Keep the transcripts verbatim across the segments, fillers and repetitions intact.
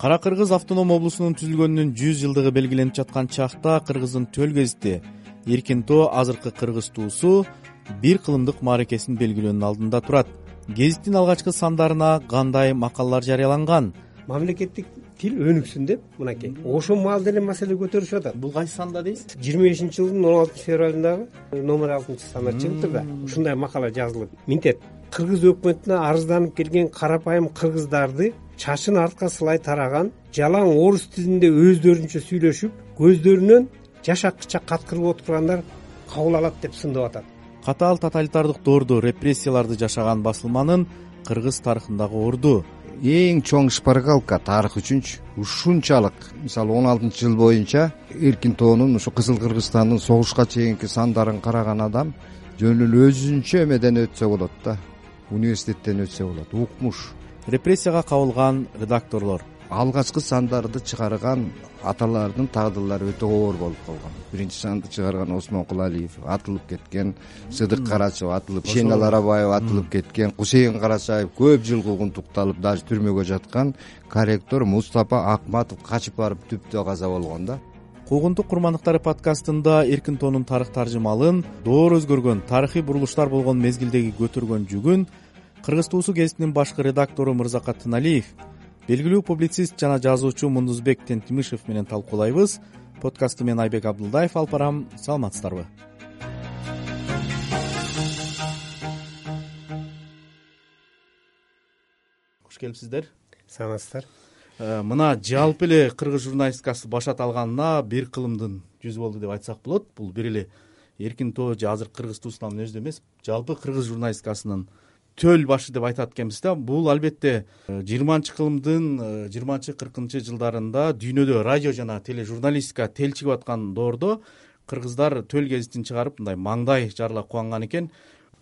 Кара Кыргыз автоном облусунун түзүлгөнүнүн жүз жылдыгы белгиленип жаткан чакта Кыргыздын төл гезити Эркин тоо, азыркы Кыргыз туусу бир кылымдык мааракесин белгилөөнүн алдында турат. Гезиттин алгачкы сандарына кандай макалалар жарыяланган? Мамлекеттик тил өнүксүн деп мынакей ошол маал деле маселе көтөрүшүп атат. Бул кайсы санда дейсиз? жыйырма бешинчи жылдын он алтынчы февралындагы номер алтынчы сандар чыгыптыр да. Ушундай макала жазылып минтет. Кыргыз өкмөтүнө арызданып келген карапайым кыргыздарды чачын артка сылай тараган, жалаң орус тилинде өздөрүнчө сүйлөшүп, көздөрүнөн жаш аккыча каткырып отургандар кабыл алат деп сындап атат. Катаал тоталитардык доордо репрессияларды жашаган басылманын Кыргыз тарыхындагы орду. Эң чоң шпаргалка тарых үчүнчү ушунчалык, мисалы он алтынчы жыл боюнча Эркин тоонун ушу Кызыл Кыргызстандын согушка чейинки сандарын караган адам жөн эле өзүнчө эмеден өтсө болот да, университеттен өтсө болот, укмуш. Репрессияга кабылган редакторлор. Алгачкы сандарды чыгарган аталардын тагдырлары өтө оор болуп калган. Биринчи санды чыгарган Осмон Кулалиев атылып кеткен, Сыдык Карачев атылып, Шенал Арабаев атылып кеткен, Кусейин Карачаев көп жыл куугунтукталып, даже түрмөгө жаткан, корректор Мустапа Акматов качып барып түптө каза болгон да. Куугунтук курмандыктары подкастында Эркин тоонун тарых таржымалын, доор өзгөргөн, тарыхый бурулуштар болгон мезгилдеги көтөргөн жүгүн Кыргыз туусу гезитинин башкы редактору Мырзакат Тыналиев, белгилүү публицист жана жазуучу Мундузбек Тентимишев менен талкуулайбыз. Подкастты мен Айбек Абдулдаев алып барам. Саламатсыздарбы? Кош келипсиздер. Саламатсыздар. Мына жалпы эле кыргыз журналистикасы башат алганына бир кылымдын жүз болду деп айтсак болот. Бул бир эле Эркин тоо же азыр Кыргыз туусунун өзүндө эмес, жалпы кыргыз журналистикасынын төл башы деп айтат экенбиз да. Бул албетте жыйырманчы кылымдын жыйырманчы кыркынчы жылдарында дүйнөдө радио жана тележурналистика телчигип аткан доордо кыргыздар төл гезитин чыгарып мындай маңдай жарыла кубанган экен.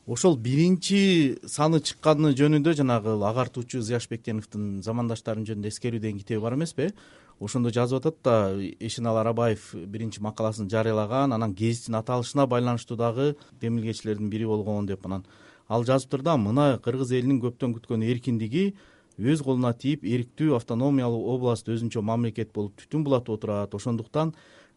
Ошол биринчи саны чыкканы жөнүндө жанагы агартуучу Зыяш Бектеновдун замандаштарым жөнүндө эскерүү деген китеби бар эмеспи? Ошондо жазып атат да, Шенал Арабаев биринчи макаласын жарыялаган, анан гезиттин аталышына байланыштуу дагы демилгечилердин бири болгон деп анан ал жазыптыр да, мына кыргыз элинин көптөн күткөн эркиндиги өз колуна тийип, эрктүү автономиялуу област өзүнчө мамлекет болуп түтүн булатып отурат. Ошондуктан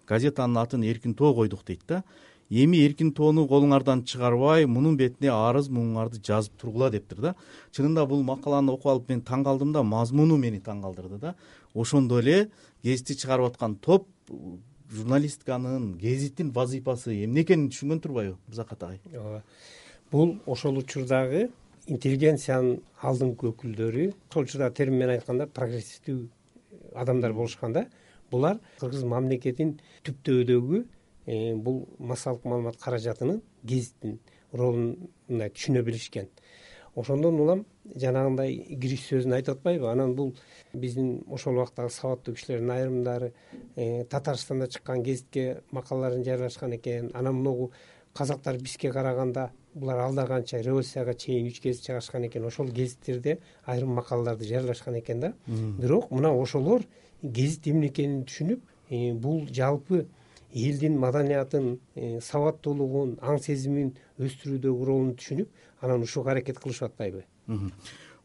газетанын атын Эркин тоо койдук дейт да. Эми Эркин тоону колуңардан чыгарбай, мунун бетине арыз муңуңарды жазып тургула дептир да. Чынында бул макаланы окуп алып мен таң калдым да, мазмуну мени таң калдырды да. Ошондо эле гезитти чыгарып аткан топ журналистиканын, гезиттин вазыйфасы эмне экенин түшүнгөн турбайбы, Мырзакат агай? Ооба. Бул ошол учурдагы интеллигенциянын алдыңкы өкүлдөрү, ошол учурдагы термин менен айтканда прогрессивдүү адамдар болушкан да. Булар кыргыз мамлекетин түптөөдөгү бул массалык маалымат каражатынын гезиттин ролун мындай түшүнө билишкен. Ошондон улам жанагындай кириш сөзүн айтып атпайбы? Анан бул биздин ошол убактагы сабаттуу кишилердин айрымдары Татарстанда чыккан гезитке макалаларын жарыялашкан экен. Анан могу казактар бизге караганда булар алда канча революцияга чейин үч гезит чыгарышкан экен. Ошол гезиттерде айрым макалаларды жарыялашкан экен да. Бирок мына ошолор гезит эмне экенин түшүнүп, бул жалпы элдин маданиятын, сабаттуулугун, аң сезимин өстүрүүдөгү ролун түшүнүп, анан ушуга аракет кылышып атпайбы?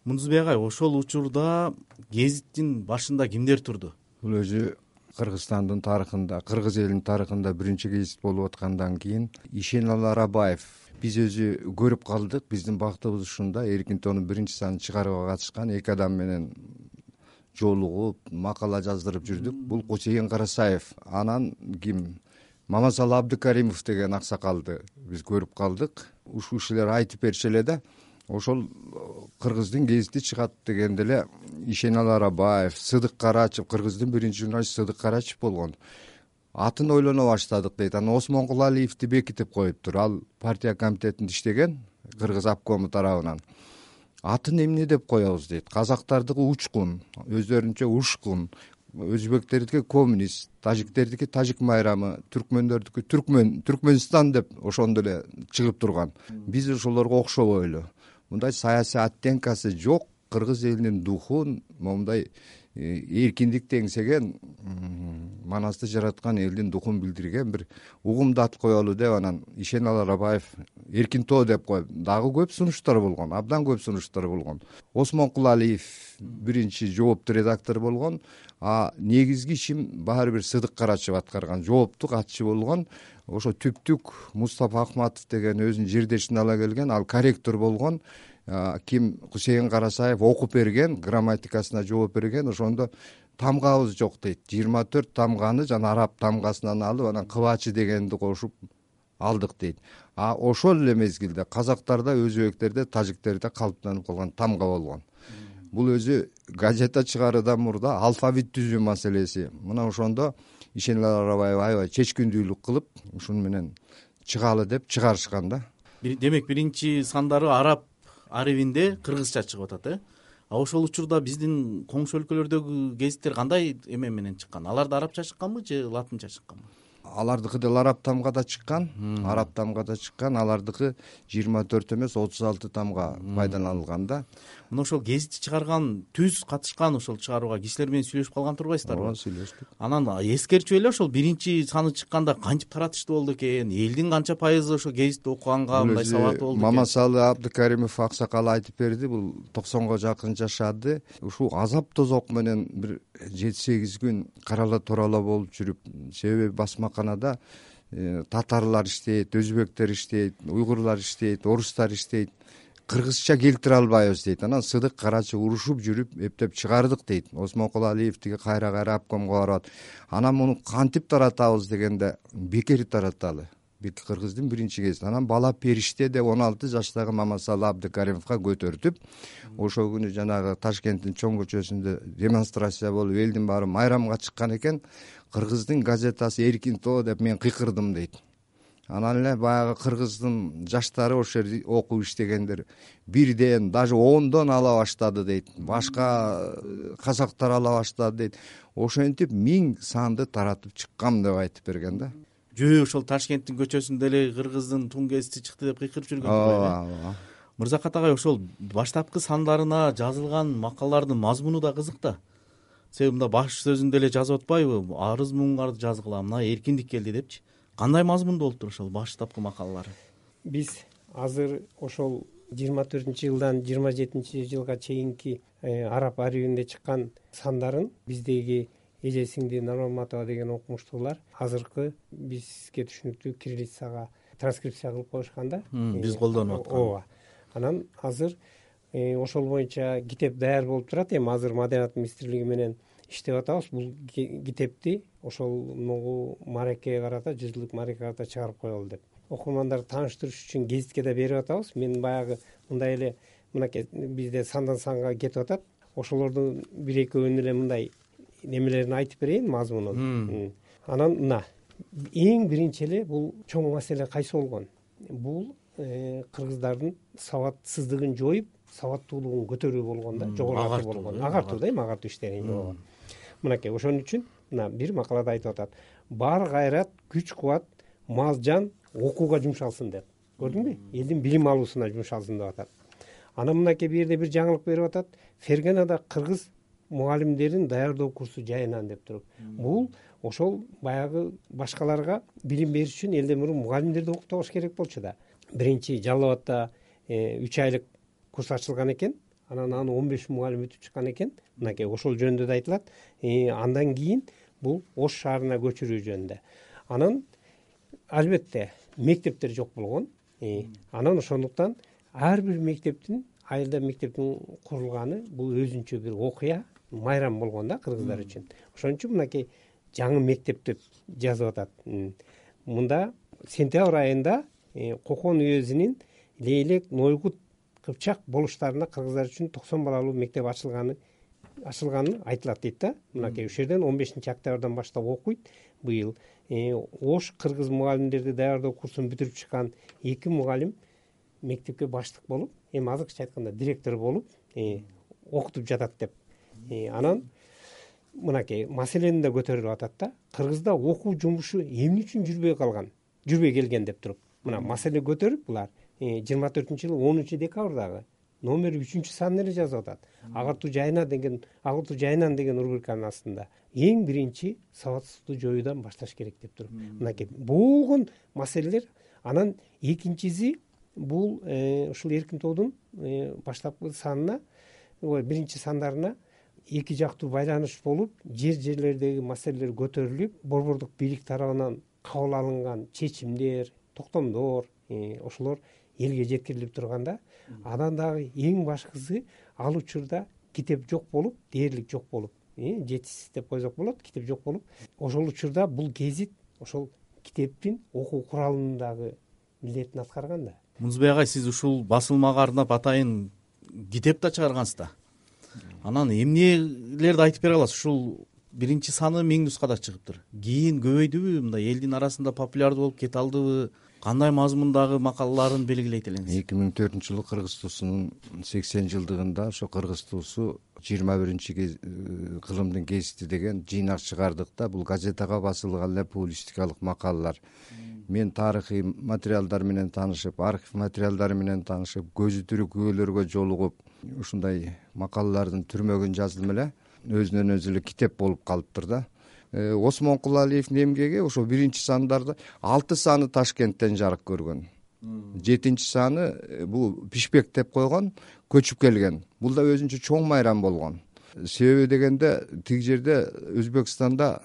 Мундузбек агай, ошол учурда гезиттин башында кимдер турду? Бул өзү Кыргызстандын тарыхында, кыргыз элинин тарыхында биринчи гезит болуп аткандан кийин Шенал Арабаев биз өзү көрүп калдык. Биздин бактыбыз ушунда, Эркин тоонун биринчи санын чыгарууга катышкан эки адам менен жолугуп, макала жаздырып жүрдүк. Бул Кусейин Карачаев, анан ким? Мамасалы Абдыкаримов деген аксакалды биз көрүп калдык. Ушул кишилер айтып бериши эле да, ошол кыргыздын гезити чыгат дегенде эле Шенал Арабаев, Сыдык Карачев, кыргыздын биринчи журналисти Сыдык Карачев болгон. Атын ойлоно баштадык дейт. Анан Осмон Кулалиевди бекитип коюптур. Ал партия комитетинде иштеген, кыргыз обкому тарабынан. Атын эмне деп коебуз дейт. Казактардыкы учкун, өздөрүнчө ушкун, өзбектердики коммунист, тажиктердики тажик майрамы, түркмөндөрдүкү түркмөн, Түркмөнстан деп ошондо эле чыгып турган. Биз ошолорго окшобой эле. Мындай саясий оттенкасы жок кыргыз элинин духун, момундай эркиндикти эңсеген, манасты жараткан элдин духун билдирген бир угумду ат коелу деп анан Ишеналы Арабаев эркин тоо деп коюп, дагы көп сунуштар болгон, абдан көп сунуштар болгон. Осмон Кулалиев биринчи жооптуу редактор болгон, а негизги ишин баары бир Сыдык Карачев аткарган, жооптук катчы болгон. Ошо түптүк Мустафа Акматов деген өзүнүн жердешин ала келген, ал корректор болгон. Ким Кусейин Карасаев окуп берген, грамматикасына жооп берген. Ошондо тамгабыз жок дейт. жыйырма төрт тамганы жана араб тамгасынан алып, анан кыбачы дегенди кошуп алдык дейт. А ошол эле мезгилде казактарда, өзбектерде, тажиктерде калыптанып калган тамга болгон. Бул өзү газета чыгаруудан мурда алфавит түзүү маселеси. Мына ошондо Ишеналы Арабаев аябай чечкиндүүлүк кылып, ушуну менен чыгалы деп чыгарышкан да. Демек биринчи сандары араб арабинде кыргызча чыгып атат, э? А ошол учурда биздин коңшу өлкөлөрдөгү гезиттер кандай эме менен чыккан? Аларда арабча чыкканбы же латынча чыкканбы? Алардыкы деле араб тамгада чыккан, араб тамгада чыккан, алардыкы жыйырма төрт эмес отуз алты тамга пайдаланылган да. Мына ошол гезитти чыгарган, түз катышкан ошол чыгарууга кишилер менен сүйлөшүп калган турбайсыздарбы? Ооба, сүйлөштүк. Анан эскерчүп эле ошол биринчи саны чыкканда кантип таратыштуу болду экен, элдин канча пайызы ошо гезитти окуганга мындай сабаты болду экен? Мамасалы Абдыкаримов аксакал айтып берди, бул токсонго жакын жашады. Ушул азап тозок менен бир жети сегиз күн карала турала болуп жүрүп, себеби басмаканада татарлар иштейт, өзбектер иштейт, уйгурлар иштейт, орустар иштейт. Кыргызча келтире албайбыз дейт. Анан Сыдык Карачев урушуп жүрүп эптеп чыгардык дейт. Осмон Кулалиев тиги кайра кайра обкомго барат. Анан муну кантип таратабыз дегенде бекер тараталы. Бик кыргыздын биринчи гезити. Анан бала периште деп он алты жаштагы Мамасалы Абдыкаримовго көтөртүп, ошол күнү жанагы Ташкенттин чоң көчөсүндө демонстрация болуп, элдин баары майрамга чыккан экен. Кыргыздын газетасы эркин тоо деп мен кыйкырдым дейт. Анан эле баягы кыргыздын жаштары ошол жерде окуп иштегендер бирден, даже ондон ала баштады дейт. Башка казактар ала баштады дейт. Ошентип миң санды таратып чыккам деп айтып берген да. Жөө ошол Ташкенттин көчөсүндө эле кыргыздын тун гезити чыкты деп кыйкырып жүргөн. Ооба. Мырзакат агай, ошол баштапкы сандарына жазылган макалалардын мазмуну да кызык да. Себеби мында баш сөзүндө эле жазып атпайбы? Арыз муңгарды жазгыла, мына эркиндик келди депчи. Кандай мазмунда болуптур ошол баштапкы макалалары? Биз азыр ошол жыйырма төртүнчү жылдан жыйырма жетинчи жылга чейинки араб арабинде чыккан сандарын биздеги Эже сиңди Нурматова деген окумуштуулар азыркы бизге түшүнүктүү кириллицага транскрипция кылып коюшкан да. Биз колдонуп аткан. Ооба. Анан азыр ошол боюнча китеп даяр болуп турат. Эми азыр Маданият министрлиги менен иштеп атабыз. Бул китепти ошол нугу маарекеге карата, жүз жылдык маарекеге карата чыгарып коелу деп. Окурмандарды тааныштырыш үчүн гезитке да берип атабыз. Мен баягы мындай эле мынакей бизде сандан санга кетип атат. Ошолордун бир экөөнүн эле мындай немелерин айтып берейин, мазмунун. Анан мына эң биринчи эле бул чоң маселе кайсы болгон? Бул кыргыздардын сабатсыздыгын жоюп, сабаттуулугун көтөрүү болгон да, жогорулатуу болгон. Агартуу да, эми агартуу иштерин жоо. Мынакей ошон үчүн мына бир макалада айтып атат. Бар кайрат, күч кубат, мал жан окууга жумшалсын деп. Көрдүңбү? Элдин билим алуусуна жумшалсын деп атат. Анан мынакей бир жерде бир жаңылык берип атат. Ферганада кыргыз мугалимдерин даярдоо курсу жайынан деп туруп. Бул ошол баягы башкаларга билим бериш үчүн элден мурун мугалимдерди окутабаш керек болчу да. Биринчи Жалал Абадта үч айлык курс ачылган экен. Анан аны он беш мугалим өтүп чыккан экен. Мынакей ошол жөнүндө да айтылат. Андан кийин бул Ош шаарына көчүрүү жөнүндө. Анан албетте мектептер жок болгон. Анан ошондуктан ар бир мектептин, айылда мектептин курулганы бул өзүнчө бир окуя, майрам болгон да кыргыздар үчүн. Ошон үчүн мынакей жаңы мектеп деп жазып атат. Мында сентябрь айында Кокон уезинин Лейлек, Нойгут, Кыпчак болуштарына кыргыздар үчүн токсон балалуу мектеп ачылганы ачылганы айтылат дейт да. Мынакей ушул жерден он бешинчи октябрдан баштап окуйт быйыл. Ош кыргыз мугалимдерди даярдоо курсун бүтүрүп чыккан эки мугалим мектепке баштык болуп, эми азыркыча айтканда директор болуп окутуп жатат деп. Анан мынакей маселени да көтөрүлүп атат да. Кыргызда окуу жумушу эмне үчүн жүрбөй калган, жүрбөй келген деп туруп. Мына маселе көтөрүп булар жыйырма төртүнчү жылы онунчу декабрдагы номер үчүнчү санын эле жазып атат. Ак орту жайына деген, ак орту жайынан деген рубриканын астында эң биринчи сабатсыздыкту жоюудан башташ керек деп туруп. Мынакей болгон маселелер. Анан экинчиси бул ушул эркин тоодун баштапкы санына, биринчи сандарына эки жактуу байланыш болуп, жер жерлердеги маселелер көтөрүлүп, борбордук бийлик тарабынан кабыл алынган чечимдер, токтомдор, ошолор элге жеткирилип турганда, анан дагы эң башкысы ал учурда китеп жок болуп, дээрлик жок болуп, жетишсиз деп койсок болот, китеп жок болуп, ошол учурда бул гезит ошол китептин окуу куралынын дагы милдетин аткарган да. Мунузбек агай, сиз ушул басылмага арнап атайын китеп да чыгаргансыз да. Анан эмнелерди айтып бере аласыз? Ушул биринчи саны миң нускада чыгыптыр. Кийин көбөйдүбү, мындай элдин арасында популярдуу болуп кете алдыбы? Кандай мазмундагы макалаларын белгилейт элеңиз? эки миң төртүнчү жылы Кыргыз туусунун сексен жылдыгында ошо Кыргыз туусу жыйырма биринчи кылымдын гезити деген жыйнак чыгардык да. Бул газетага басылган эле публистикалык макалалар. Мен тарыхый материалдар менен таанышып, архив материалдары менен таанышып, көзү тирүү күбөлөргө жолугуп, ушундай макалалардын түрмөгүн жаздым эле. Өзүнөн өзү эле китеп болуп калыптыр да. Осмон Кулалиевдин эмгеги ошо биринчи сандарды алты саны Ташкенттен жарык көргөн. жетинчи саны бул Пишпек деп койгон, көчүп келген. Бул да өзүнчө чоң майрам болгон. Себеби дегенде тиги жерде Өзбекстанда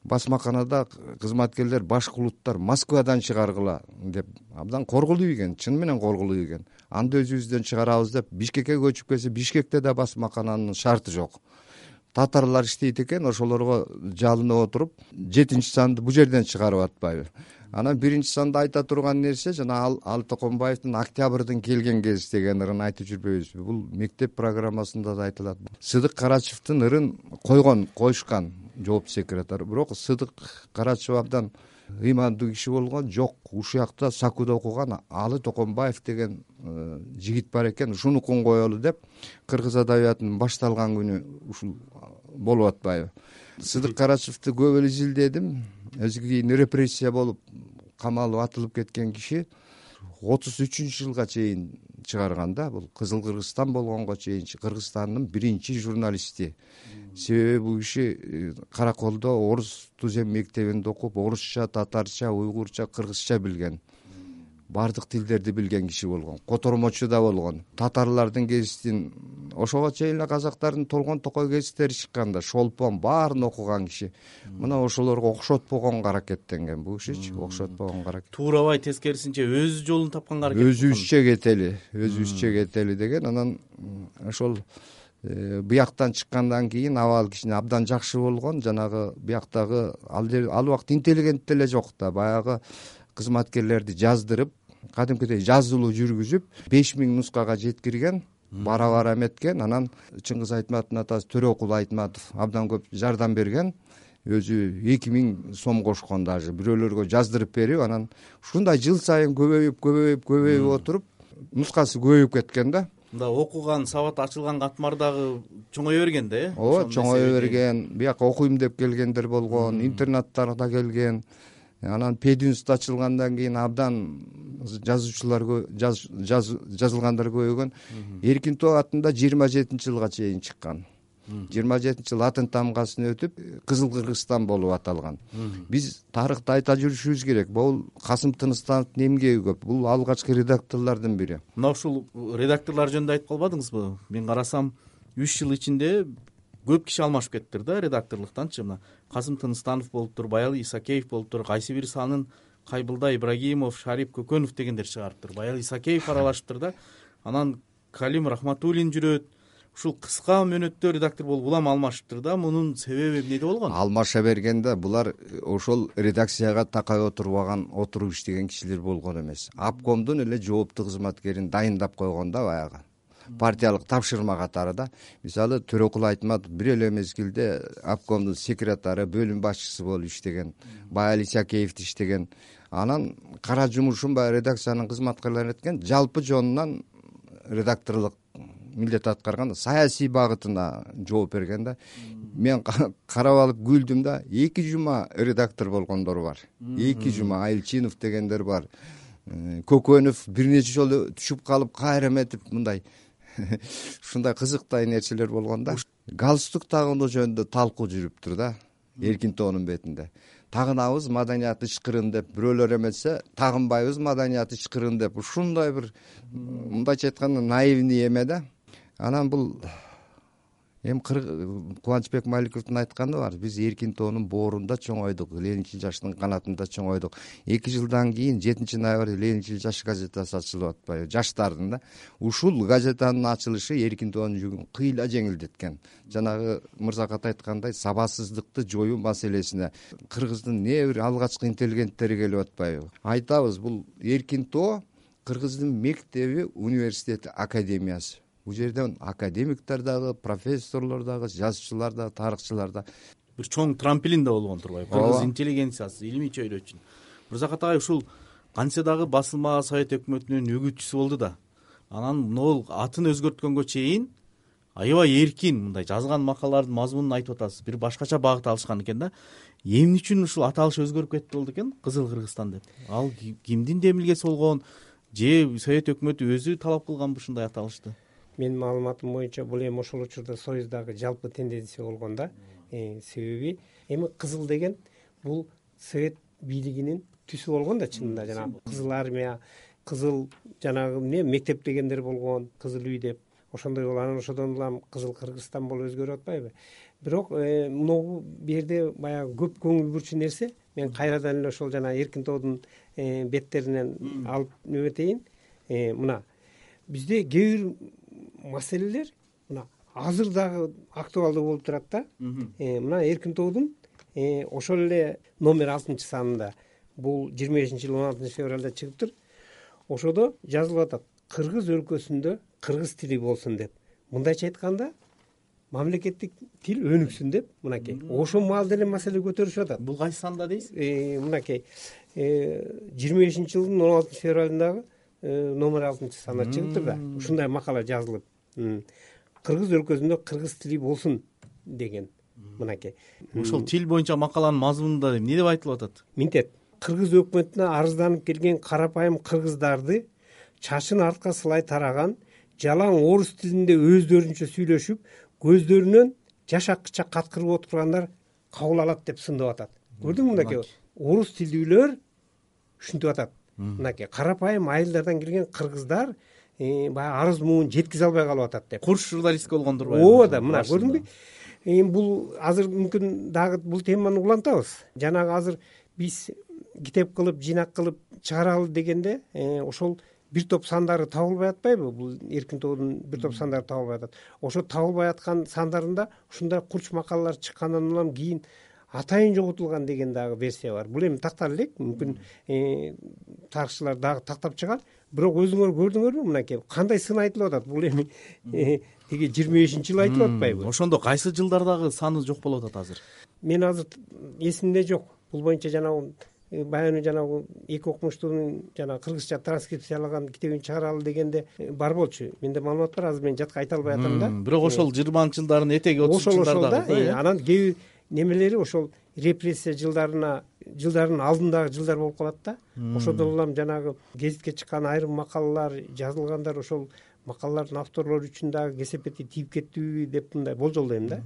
басмаканада кызматкерлер башкулуттар Москвадан чыгаргыла деп абдан коргулуу ийген, чын менен коргулуу ийген. Анда өзүбүздөн чыгарабыз деп Бишкекке көчүп келсе, Бишкекте да басмакананын шарты жок. Татарлар иштейт экен, ошолорго жалынып отуруп, жетинчи санды бул жерден чыгарып атпайбы. Анан биринчи санда айта турган нерсе жана Алы Токонбаевдин Октябрдын келген кез деген ырын айтып жүрбөйбүзбү? Бул мектеп программасында да айтылат. Сыдык Карачевдин ырын койгон, коюшкан жооп секретары. Бирок Сыдык Карачев абдан ыймандуу киши болгон, жок, ушул жакта Сакуда окуган Алы Токонбаев деген жигит бар экен, ушунукун коелу деп кыргыз адабиятынын башталган күнү ушул болуп атпайбы? Сыдык Карачевди көп эле изилдедим. Өзү кийин репрессия болуп камалып атылып кеткен киши отуз үчүнчү жылга чейин чыгарган да. Бул Кызыл Кыргызстан болгонго чейин Кыргызстандын биринчи журналисти. Себеби бул киши Караколдо орус тузем мектебинде окуп, орусча, татарча, уйгурча, кыргызча билген. Бардык тилдерди билген киши болгон. Котормочу да болгон. Татарлардын гезитин, ошого чейин эле казактардын Толгон Токой гезиттери чыккан да, Шолпон баарын окуган киши. Мына ошолорго окшотпогонго аракеттенген бул кишичи, окшотпогонго аракет. Туурабай, тескерисинче өз жолун тапканга аракет кылган. Өзүбүзчө кетели, өзүбүзчө кетели деген. Анан ошол бияктан чыккандан кийин абал кичине абдан жакшы болгон. Жанагы бияктагы ал убакыт интеллигент деле жок да, баягы кызматкерлерди жаздырып, кадимкидей жазылуу жүргүзүп, беш миң нускага жеткирген, бара-бара эметкен. Анан Чыңгыз Айтматовдун атасы Төрөкул Айтматов абдан көп жардам берген. Өзү эки миң сом кошкон, даже бирөөлөргө жаздырып берип, анан ушундай жыл сайын көбөйүп, көбөйүп, көбөйүп отуруп, нускасы көбөйүп кеткен да. Мында окуган, сабат ачылган катмар дагы чоңое берген да, э? Ооба, чоңое берген. Бияка окуйм деп келгендер болгон, интернаттарда келген. Анан Пединститут ачылгандан кийин абдан жазуучулар жазылгандар көбөйгөн. Эркин тоо атында жыйырма жетинчи жылга чейин чыккан. жыйырма жетинчи жыл атын тамгасын өтүп, Кызыл Кыргызстан болуп аталган. Биз тарыхты айта жүрүшүбүз керек. Бул Касым Тыныстановдун эмгеги көп. Бул алгачкы редакторлордун бири. Мына ушул редакторлор жөнүндө айтып калбадыңызбы? Мен карасам үч жыл ичинде көп киши алмашып кеттир да редакторлуктанчы. Мына Касым Тыныстанов болуптур, Баял Исакеев болуптур, кайсы бир санын Кайбылда Ибрагимов, Шарип Көкөнов дегендер чыгарыптыр. Баял Исакеев аралашыптыр да. Анан Калим Рахматуллин жүрөт. Ушул кыска мөөнөттө редактор болуп улам алмашыптыр да. Мунун себеби эмнеде болгон? Алмаша бергенде булар ошол редакцияга такай отурбаган, отуруп иштеген кишилер болгон эмес. Обкомдун эле жооптуу кызматкерин дайындап койгон да баягы. Партиялык тапшырма катары да. Мисалы Төрөкул Айтматов бир эле мезгилде обкомдун секретары, бөлүм башчысы болуп иштеген, Баял Исакеев иштеген. Анан кара жумушун баягы редакциянын кызматкерлери эткен, жалпы жонунан редакторлук милдет аткарган, саясий багытына жооп берген да. Мен карап алып күлдүм да. Эки жума редактор болгондор бар. Эки жума Айылчинов дегендер бар. Көкөнов бир нече жолу түшүп калып, кайра эметип мындай ушундай кызыктай нерселер болгон да. Галстук тагынуу жөнүндө талкуу жүрүптүр да эркин тоонун бетинде. Тагынабыз маданият ычкырын деп, бирөөлөр эметсе тагынбайбыз маданият ычкырын деп. Ушундай бир мындайча айтканда наивный эме да. Анан бул эми Кубанычбек Маликовдун айтканы бар. Биз эркин тоонун боорунда чоңойдук, Ленинчил жаштын канатында чоңойдук. эки жылдан кийин жетинчи ноябрь Ленинчил жаш газетасы ачылып атпайбы? Жаштардын да. Ушул газетанын ачылышы эркин тоонун жүгүн кыйла жеңилдеткен. Жанагы Мырзакат айткандай сабатсыздыкты жоюу маселесине кыргыздын не бир алгачкы интеллигенттери келип атпайбы? Айтабыз, бул эркин тоо кыргыздын мектеби, университети, академиясы. Бул жерден академиктер дагы, профессорлор дагы, жазуучулар дагы, тарыхчылар да бир чоң трамплин да болгон турбайбы? Кыргыз интеллигенциясы, илимий чөйрө үчүн. Мырзакат агай ушул кантсе дагы басылма Совет өкмөтүнүн өгүтчүсү болду да. Анан могул атын өзгөрткөнгө чейин аябай эркин мындай жазган макалалардын мазмунун айтып атасыз. Бир башкача багыт алышкан экен да. Эмне үчүн ушул аталыш өзгөрүп кетти болду экен? Кызыл Кыргызстан деп. Ал кимдин демилгеси болгон? Же Совет өкмөтү өзү талап кылганбы ушундай аталышты? Менин маалыматым боюнча бул эми ошол учурда Союздагы жалпы тенденция болгон да. Себеби эми кызыл деген бул Совет бийлигинин түсү болгон да чынында. Жана кызыл армия, кызыл жанагы эмне мектеп дегендер болгон, кызыл үй деп. Ошондой болуп анан ошодон улам Кызыл Кыргызстан болуп өзгөрүп атпайбы? Бирок могу бу жерде баягы көп көңүл бурчу нерсе, мен кайрадан эле ошол жана эркин тоодун беттеринен алып нөбөтейин. Мына бизде кээ бир маселелер мына азыр дагы актуалдуу болуп турат да. Мына эркин тоодун ошол эле номер алтынчы санында, бул жыйырма бешинчи жыл он алтынчы февралда чыгыптыр. Ошодо жазылып атат: Кыргыз өлкөсүндө кыргыз тили болсун деп. Мындайча айтканда, мамлекеттик тил өнүксүн деп, мынакей. Ошол маалда эле маселе көтөрүшүп атат. Бул кайсы санда дейсиз? Мынакей жыйырма бешинчи жылдын он алтынчы февралындагы номер алтынчы санда чыгыптыр да. Ушундай макала жазылып, кыргыз өлкөсүндө кыргыз тили болсун деген. Мынакей. Ошол тил боюнча макаланын мазмунунда эмне деп айтылып атат? Минтет: кыргыз өкмөтүнө арызданып келген карапайым кыргыздарды чачын артка сылай тараган, жалаң орус тилинде өздөрүнчө сүйлөшүп, көздөрүнөн жаш аккыча каткырып отургандар кабыл алат деп сындап атат. Көрдүңбү мынакей? Орус тилдүүлөр ушинтип атат. Мынакей карапайым айылдардан келген кыргыздар баягы арыз муун жеткизе албай калып атат деп. Курч журналист болгон турбайбы? Ооба да, мына көрдүңбү? Эми бул азыр мүмкүн дагы бул теманы улантабыз. Жанагы азыр биз китеп кылып, жыйнак кылып чыгаралы дегенде ошол бир топ сандары табылбай атпайбы? Бул эркин тоодун бир топ сандары табылбай атат. Ошо табылбай аткан сандарында ушундай курч макалалар чыккандан улам кийин атайын жоготулган деген дагы версия бар. Бул эми тактар элек, мүмкүн тарыхчылар дагы тактап чыгар. Бирок өзүңөр көрдүңөрбү мынакей кандай сын айтылып атат? Бул эми тиги жыйырма бешинчи жыл айтылып атпайбы? Ошондо кайсы жылдардагы саны жок болуп атат азыр? Мен азыр эсимде жок. Бул боюнча жанагы баягы жанагы эки окумуштуунун жана кыргызча транскрипциялаган китебин чыгаралы дегенде бар болчу. Менде маалымат бар, азыр мен жатка айта албай атам да. Бирок ошол жыйырманчы жылдардын этеги отузунчу жылдардагы. Анан кээ бир немелери ошол репрессия жылдарына жылдардын алдындагы жылдар болуп калат да. Ошодон улам жанагы гезитке чыккан айрым макалалар жазылгандар, ошол макалалардын авторлору үчүн дагы кесепети тийип кеттиби деп мындай болжолдойм да.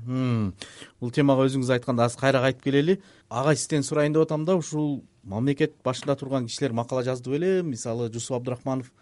Бул темага өзүңүз айтканда азыр кайра кайтып келели. Агай сизден сурайын деп атам да, ушул мамлекет башында турган кишилер макала жазды беле? Мисалы Жусуп Абдрахманов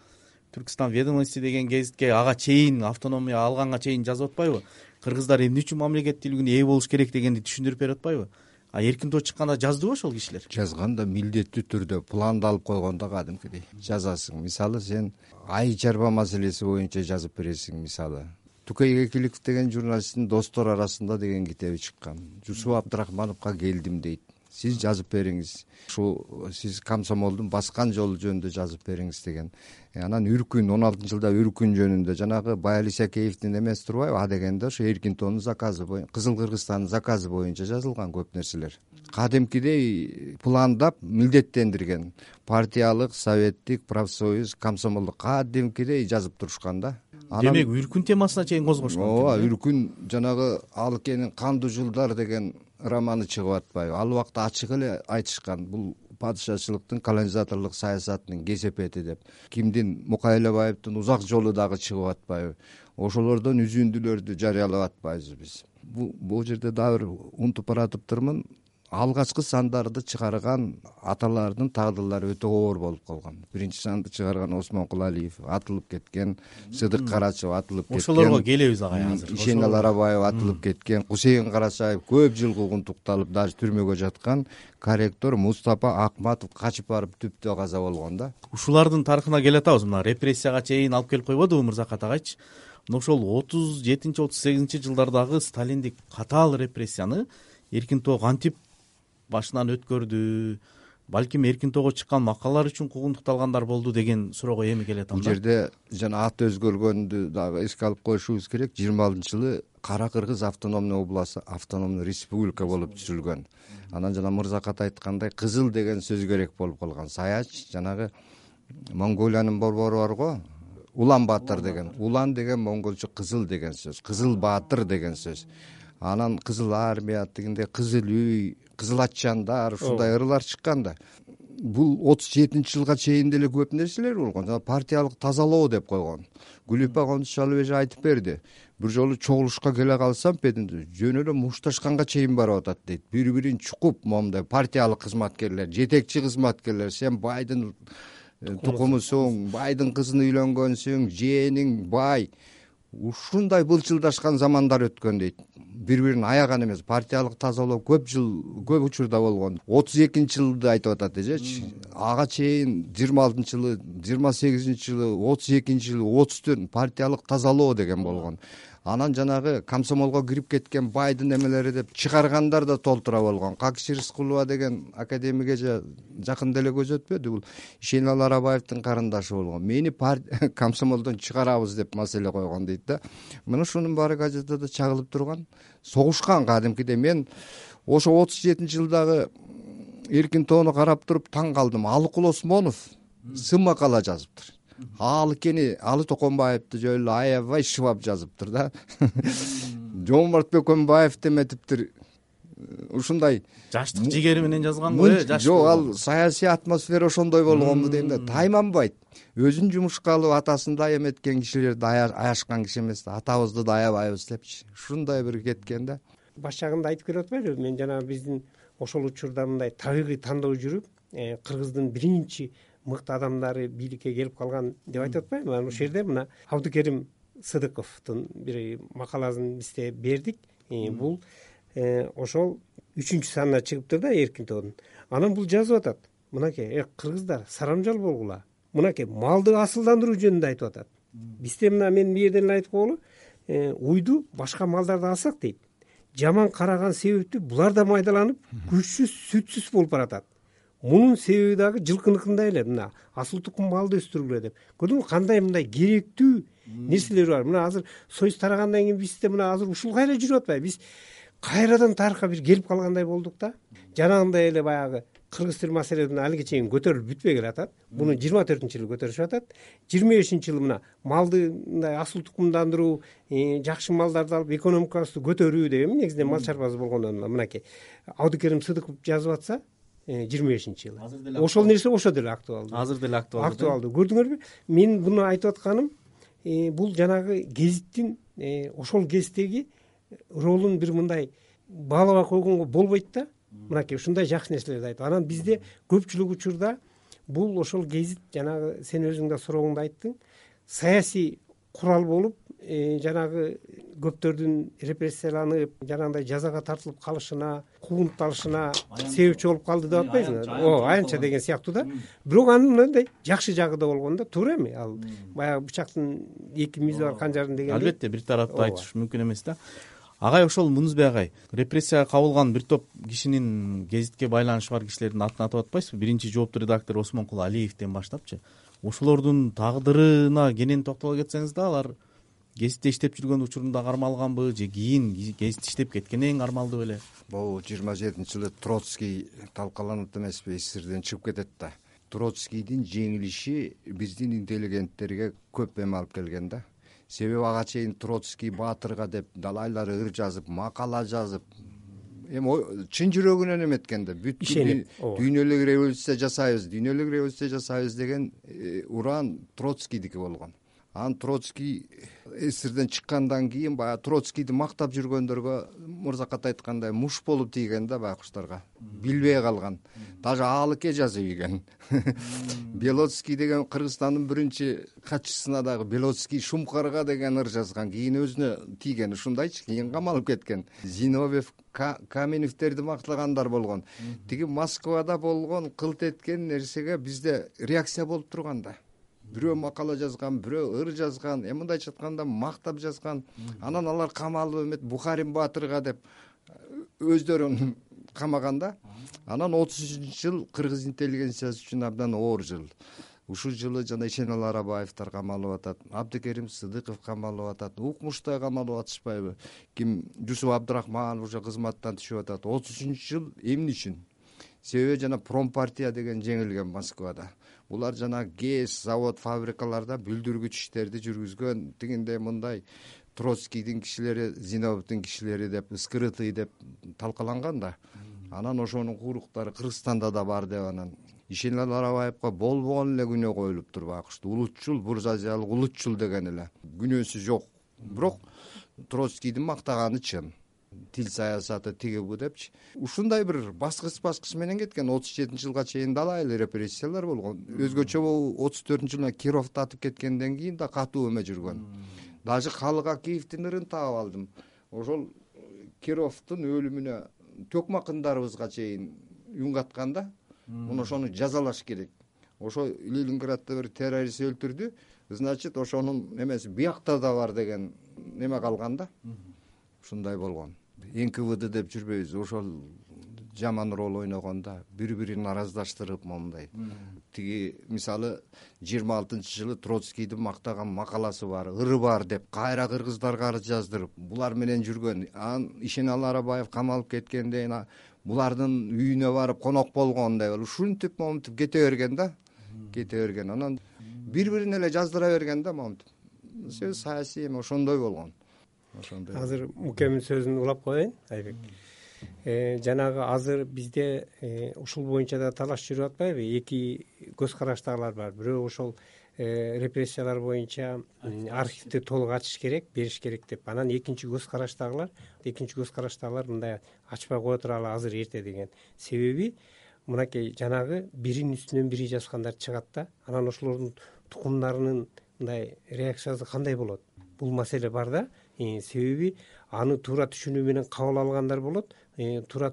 Түркстан ведомости деген гезитке ага чейин автономия алганга чейин жазып атпайбы? Кыргыздар эмне үчүн мамлекет тилигине ээ болуш керек дегенди түшүндүрүп берип атпайбы? А эркин тоо чыкканда жаздыбы ошол кишилер? Жазган да, милдеттүү түрдө пландалып койгондо кадимкидей жазасың. Мисалы сен ай чарба маселеси боюнча жазып бересиң. Мисалы Тукай Кекиликов деген журналисттин Достор арасында деген китеби чыккан. Жусуп Абдрахмановго келдим дейт. Сиз жазып бериңиз. Ушул сиз комсомолдун баскан жолу жөнүндө жазып бериңиз деген. Анан Үркүн он алтынчы жылда Үркүн жөнүндө жанагы Байали Исакеевдин эмеси турбайбы? А дегенде ошо эркин тоонун заказы боюнча, Кызыл Кыргызстандын заказы боюнча жазылган көп нерселер. Кадимкидей пландап милдеттендирген. Партиялык, советтик, профсоюз, комсомолдук кадимкидей жазып турушкан да. Демек Үркүн темасына чейин козгошкон. Ооба, Үркүн жанагы Алыкенин Кандуу жылдар деген романы чыгып атпайбы? Ал убакта ачык эле айтышкан. Бул падышачылыктын колонизаторлук саясатынын кесепети деп. Кимдин Мукай Элебаевдин узак жолу дагы чыгып атпайбы? Ошолордон үзүндүлөрдү жарыялап атпайбызбы биз? Бул жерде дагы бир унутуп баратыптырмын. Алгачкы сандарды чыгарган аталардын тагдырлары өтө оор болуп калган. Биринчи санды чыгарган Осмон Кулалиев атылып кеткен, Сыдык Карачев атылып кеткен. Ошолорго келебиз агай азыр. Ишенал Арабаев атылып кеткен, Кусейин Карачаев көп жыл куугунтукталып, даже түрмөгө жаткан, корректор Мустапа Акматов качып барып түптө каза болгон да. Ушулардын тарыхына келе атабыз. Мына репрессияга чейин алып келип койбодубу Мырзакат агайчы? Мына ошол отуз жетинчи отуз сегизинчи жылдардагы сталиндик катаал репрессияны эркин тоо кантип башынан өткөрдү, балким эркин тоого чыккан макалалар үчүн куугунтукталгандар болду деген суроого эми келет. Бул жерде жана аты өзгөргөндү дагы эске алып коюшубуз керек. жыйырма алтынчы жылы Кара Кыргыз автономный областы автономный республика болуп түзүлгөн. Анан жана Мырзакат айткандай кызыл деген сөз керек болуп калган. Саяч жанагы Монголиянын борбору барго, Улан Баатыр деген. Улан деген монголчо кызыл деген сөз. Кызыл Баатыр деген сөз. Анан Кызыл армия дегенде Кызыл үй, Кызыл Атчандар ушундай ырлар чыккан да. Бул отуз жетинчи жылга чейин деле көп нерселер болгон. Партиялык тазалоо деп койгон. Гүлүпа Кондушалов эже айтып берди. Бир жолу чогулушка келе калсам, бетинде жөн эле мушташканга чейин барып атат дейт. Бири-бирин чукуп, момундай партиялык кызматкерлер, жетекчи кызматкерлер, сен байдын тукумусуң, байдын кызын үйлөнгөнсүң, жээниң бай. Ушундай былчылдашкан замандар өткөн дейт. Бири-бирин аяган эмес, партиялык тазалоо көп жыл, көп учурда болгон. отуз экинчи жылды айтып атат эжечи. Ага чейин жыйырма алтынчы жылы, жыйырма сегизинчи жылы, отуз экинчи жылы, отуз төрт партиялык тазалоо деген болгон. Анан жанагы комсомолго кирип кеткен байдын эмелери деп чыгаргандар да толтура болгон. Какши Рыскулова деген академик эже жакын деле көз өтпөдү. Бул Ишенал Арабаевдин карындашы болгон. Мени комсомолдон чыгарабыз деп маселе койгон дейт да. Мына ушунун баары газетада чагылып турган. Согушкан кадимкиде. Мен ошо отуз жетинчи жылдагы эркин тоону карап туруп таң калдым. Алыкул Осмонов сын макала жазыптыр. Ал кени Алы Токонбаевди жөн эле аябай шыбап жазыптыр да. Жомарт Бөкөнбаев деметиптир. Ушундай жаштык жигери менен жазган го, э, жаш. Жок, ал саясий атмосфера ошондой болгонбу дейм да. Тайманбайт. Өзүн жумушка алып атасын да эметкен кишилерди аяшкан киши эмес да. Атабызды да аябайбыз депчи. Ушундай бир кеткен да. Баш жагында айтып берип атпайбы? Мен жана биздин ошол учурда мындай табигый тандоо жүрүп, Кыргыздын биринчи мыкты адамдары бийликке келип калган деп айтып атпайбы? Анан ошол жерде мына Абдыкерим Сыдыковдун бир макаласын бизде бердик. Бул ошол үчүнчү санына чыгыптыр да эркин тоонун. Анан бул жазып атат. Мынакей, кыргыздар сарамжал болгула. Мынакей малды асылдандыруу жөнүндө айтып атат. Бизде мына мен бул жерден эле айтып койгулу, уйду башка малдарды алсак дейт. Жаман караган себептүү булар да майдаланып, күчсүз, сүтсүз болуп баратат. Мунун себеби дагы жылкыныкындай эле. Мына асыл тукум малды өстүргүлө деп. Көрдүңбү кандай мындай керектүү нерселер бар. Мына азыр союз тарагандан кийин бизде мына азыр ушул кайра жүрүп атпайбы? Биз кайрадан тарыхка бир келип калгандай болдук да. Жанагындай эле баягы кыргыз тил маселесин алиге чейин көтөрүлүп бүтпөй келатат. Буну жыйырма төртүнчү жылы көтөрүшүп атат. жыйырма бешинчи жылы мына малды мындай асыл тукумдандыруу, жакшы малдарды алып экономикабызды көтөрүү деген негизинен мал чарбасы болгондон мынакей Абдыкерим Сыдыков жазып атса, жыйырма бешинчи жылы. Ошол нерсе ошо деле актуалдуу. Азыр деле актуалдуу. Актуалдуу. Көрдүңөрбү? Мен буну айтып атканым, бул жанагы гезиттин ошол кездеги ролун бир мындай баалабай койгонго болбойт да. Мынакей ушундай жакшы нерселерди айтып. Анан бизде көпчүлүк учурда бул ошол гезит жанагы сен өзүң да сурооңдо айттың, саясий курал болуп, жанагы көптөрдүн репрессияланып, жанагындай жазага тартылып калышына, куугунталышына себепчи болуп калды деп атпайсыңбы? О, аянча деген сыяктуу да. Бирок анын мындай жакшы жагы да болгон да, туура эми? Ал баягы бычактын эки мизи бар канжардын дегендей. Албетте, бир тараптуу айтыш мүмкүн эмес да. Агай, ошол Мунузбек агай, репрессияга кабылган бир топ кишинин, гезитке байланышы бар кишилердин атын атап атпайсызбы? Биринчи жооптуу редактор Осмонкул Алиевден баштапчы. Ошолордун тагдырына кенен токтоло кетсеңиз да, алар гезитте иштеп жүргөн учурунда кармалганбы же кийин гезитте иштеп кеткенден кармалды беле? Бул жыйырма жетинчи жылы Троцкий талкаланат эмеспи, эсирден чыгып кетет да. Троцкийдин жеңилиши биздин интеллигенттерге көп эме алып келген да. Себеби ага чейин Троцкий баатырга деп далайлар ыр жазып, макала жазып, эми чын жүрөгүнөн эметкен да бүт дүйнөлүк революция жасайбыз дүйнөлүк революция жасайбыз деген уран Троцкийдики болгон. Анан Троцкий эсирден чыккандан кийин баягы Троцкийди мактап жүргөндөргө мырзакат айткандай муш болуп тийген да байкуштарга, билбей калган. Даже аалыке жазып ийген. Белоцкий деген Кыргызстандын биринчи катчысына дагы Белоцкий Шумкарга деген ыр жазган. Кийин өзүнө тийгени ушундайчы, кийин камалып кеткен. Зиновьев, Каменевтерди мактагандар болгон. Тиги Москвада болгон кылт эткен нерсеге бизде реакция болуп турган да. Бирөө макала жазган, бирөө ыр жазган, эми мындайча айтканда мактап жазган. Анан алар камалып эмет Бухарин Баатырга деп өздөрүн камаганда. Анан отуз үчүнчү жыл кыргыз интеллигенциясы үчүн абдан оор жыл. Ушул жылы жана Ишеналы Арабаевдер камалып атат, Абдыкерим Сыдыков камалып атат, Укмуштай камалып атышпайбы? Ким Жусуп Абдрахманов уже кызматтан түшүп атат. отуз үчүнчү жыл эмне үчүн? Себеби жана Промпартия деген жеңилген Москвада. Булар жана ГЭС, завод, фабрикаларда бүлдүргүч иштерди жүргүзгөн, тигиндей мындай Троцкийдин кишилери, Зиновьевдин кишилери деп, скрытый деп талкаланган да. Анан ошонун кууруктары Кыргызстанда да бар деп анан Ишеналы Арабаевга болбогон эле күнөө коюлуптур байкушту. Улутчул, буржуазиялык улутчул деген эле күнөөсү жок. Бирок Троцкийдин мактаганы чын. Тил саясаты тиги бу депчи. Ушундай бир баскыч баскыч менен кеткен. отуз жетинчи жылга чейин дала эле репрессиялар болгон. Өзгөчө отуз төртүнчү жылы Кировду атып кеткенден кийин да катуу эме жүргөн. Даже Халык Акиевдин ырын таап алдым. Ошол Кировдун өлүмүнө төкмакындарыбызга чейин үн катканда, муну ошону жазалаш керек. Ошо Ленинградда бир террорист өлтүрдү, значит, ошонун эмеси биякта да бар деген неме калган да. Ушундай болгон. эн ка вэ дэ деп жүрбөйбүз. Ошол жаман роль ойногондо бири-бирин араздаштырып моундай. Тиги мисалы жыйырма алтынчы жылы Троцкийдин мактаган макаласы бар, ыры бар деп кайра кыргыздарга арыз жаздырып, булар менен жүргөн. Анан Ишеналы Арабаев камалып кеткенден булардын үйүнө барып конок болгон деп, ушинтип момунтип кете берген да. Кете берген. Анан бири-бирин эле жаздыра берген да момунтип. Сөз саясий эме ошондой болгон. Азыр Мукемдин сөзүн улап коеюн, Айбек. Жанагы азыр бизде ушул боюнча да талаш жүрүп атпайбы? Эки көз караштагылар бар. Бирөө ошол репрессиялар боюнча архивди толук ачыш керек, бериш керек деп. Анан экинчи көз караштагылар, экинчи көз караштагылар мындай ачпай кое туралы азыр эрте деген. Себеби мынакей жанагы биринин үстүнөн бири жазгандар чыгат да, анан ошолордун тукумдарынын мындай реакциясы кандай болот? Бул маселе бар да. Себеби аны туура түшүнүү менен кабыл алгандар болот, туура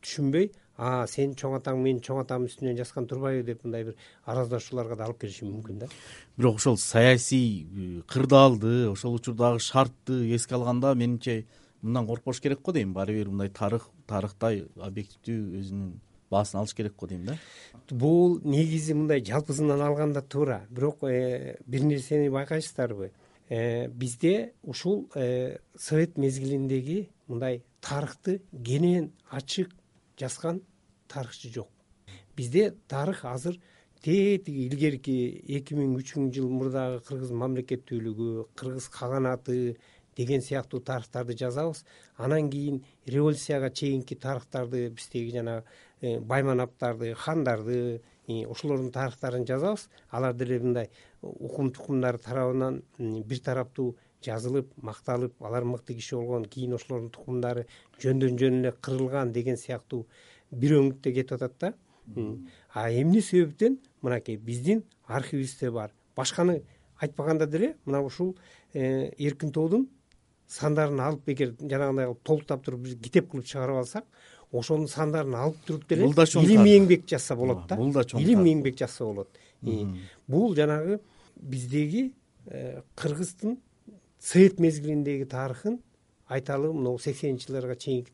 түшүнбөй, а сен чоң атаң менин чоң атамдын үстүнөн жазган турбайбы деп мындай бир араздашууларга да алып келиши мүмкүн да. Бирок ошол саясий кырдаалды, ошол учурдагы шартты эске алганда менимче мындан коркпош керек го дейм. Баары бир мындай тарых, тарыхтай объективдүү өзүнүн баасын алыш керек го дейм да. Бул негизи мындай жалпысынан алганда туура. Бирок бир нерсени байкайсыздарбы? Бизде ушул совет мезгилиндеги мындай тарыхты кенен ачык жазган тарыхчы жок. Бизде тарых азыр тетиги илгерки эки миң үчүнчү жыл мурдагы кыргыз мамлекеттүүлүгү, кыргыз каганаты деген сыяктуу тарыхтарды жазабыз. Анан кийин революцияга чейинки тарыхтарды, биздеги жана байманаптарды, хандарды, ошолордун тарыхтарын жазабыз. Алар деле мындай укум тукумдары тарабынан бир тараптуу жазылып, макталып, алар мыкты киши болгон, кийин ошолордун тукумдары жөндөн жөн эле кырылган деген сыяктуу бир өңүттө кетип атат да. А эмне себептен мынакей биздин архивибизде бар. Башканы айтпаганда деле мына ушул Эркин тоодун сандарын алып бекер жанагындай толуктап туруп биз китеп кылып чыгарып алсак, ошонун сандарын алып туруп деле илимий эмгек жазса болот да. Илимий эмгек жазса болот. Бул жанагы биздеги кыргыздын совет мезгилиндеги тарыхын айталы мына сексенинчи жылдарга чейин,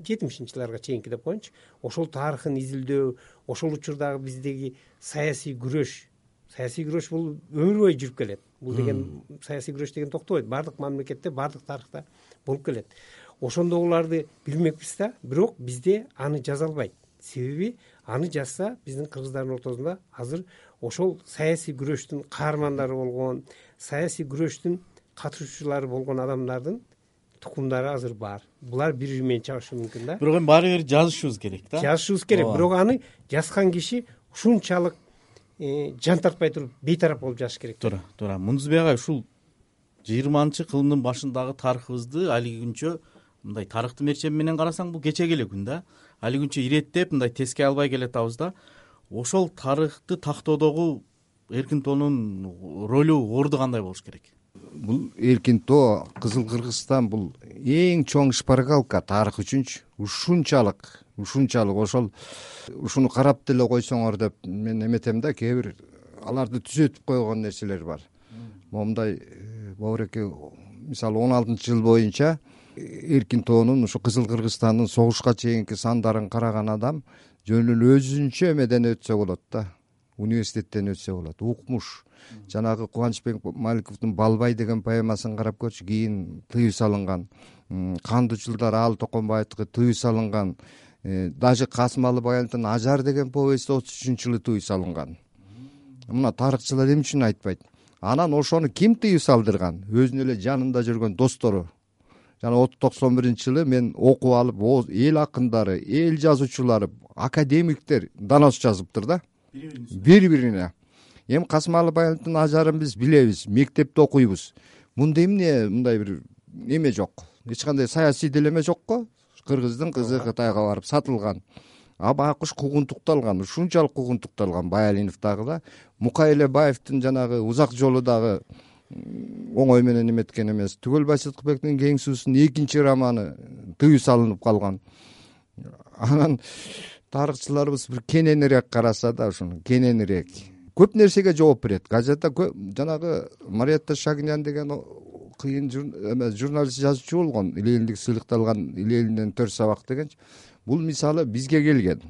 жетимишинчи жылдарга чейинки деп коеюнчу. Ошол тарыхын изилдөө, ошол учурдагы биздеги саясий күрөш, саясий күрөш бул өмүр бою жүрүп келет. Бул деген саясий күрөш деген токтобойт. Бардык мамлекетте, бардык тарыхта болуп келет. Ошондогуларды билмекпиз да, бирок бизде аны жаза албайт. Себеби аны жазса биздин кыргыздардын ортосунда азыр ошол саясий күрөштүн каармандары болгон, саясий күрөштүн катышуучулары болгон адамдардын тукумдары азыр бар. Булар бири бири менен чагышы мүмкүн да. Бирок эми баары бир жазышыбыз керек да. Жазышыбыз керек, бирок аны жазган киши ушунчалык жан тартпай туруп бейтарап болуп жазыш керек. Туура, туура. Мундузбек агай, ушул жыйырманчы кылымдын башындагы тарыхыбызды али күнчө мындай тарыхты мерчем менен карасаң бул кечеги эле күн да. Али күнчө иреттеп мындай теске албай келатабыз да. Ошол тарыхты тактоодогу эркин тоонун ролу, орду кандай болуш керек? Бул эркин тоо, Кызыл Кыргызстан бул эң чоң шпаргалка тарых үчүнчү. Ушунчалык, ушунчалык ошол ушуну карап деле койсоңор деп мен эметем да, кээ бир аларды түзөтүп койгон нерселер бар. Момундай Бобуреке мисалы он алтынчы жыл боюнча эркин тоонун ушу Кызыл Кыргызстандын согушка чейинки сандарын караган адам жөн эле өзүнчө эмеден өтсө болот да, университеттен өтсө болот. Укмуш жанагы Кубанычбек Маликовдун Балбай деген поэмасын карап көрчү, кийин тыюу салынган. Кандуу жылдар Аалы Токонбаевдики тыюу салынган. Даже Касым Алыбаевдин Ажар деген повести отуз үчүнчү жылы тыюу салынган. Мына тарыхчылар эмне үчүн айтпайт? Анан ошону ким тыюу салдырган? Өзүнүн эле жанында жүргөн достору. Жана токсон биринчи жылы мен окуп алып, эл акындары, эл жазуучулары, академиктер донос жазыптыр да. Бири-бирине. Эми Касым Алыбаевдин Ажарын биз билебиз, мектепте окуйбуз. Мында эмне мындай бир эме жок. Эч кандай саясий делеме жок го. Кыргыздын кызы Кытайга барып сатылган. Абакыш куугунтукталган, ушунчалык куугунтукталган. Баялинов дагы да, Мукай Элебаевдин жанагы Узак жолу дагы оңой менен эметкен эмес. Түгөлбай Сыдыкбектин Кең суусунун экинчи романы тыюу салынып калган. Анан тарыхчыларыбыз бир кененирээк караса да, ушуну кененирээк көп нерсеге жооп берет. Газетте жанагы Мариятта Шагинян деген кыйын журналист жазуучу болгон, Илелиндик сыйлыкталган Илелинден төрт сабак дегенчи. Бул мисалы бизге келген.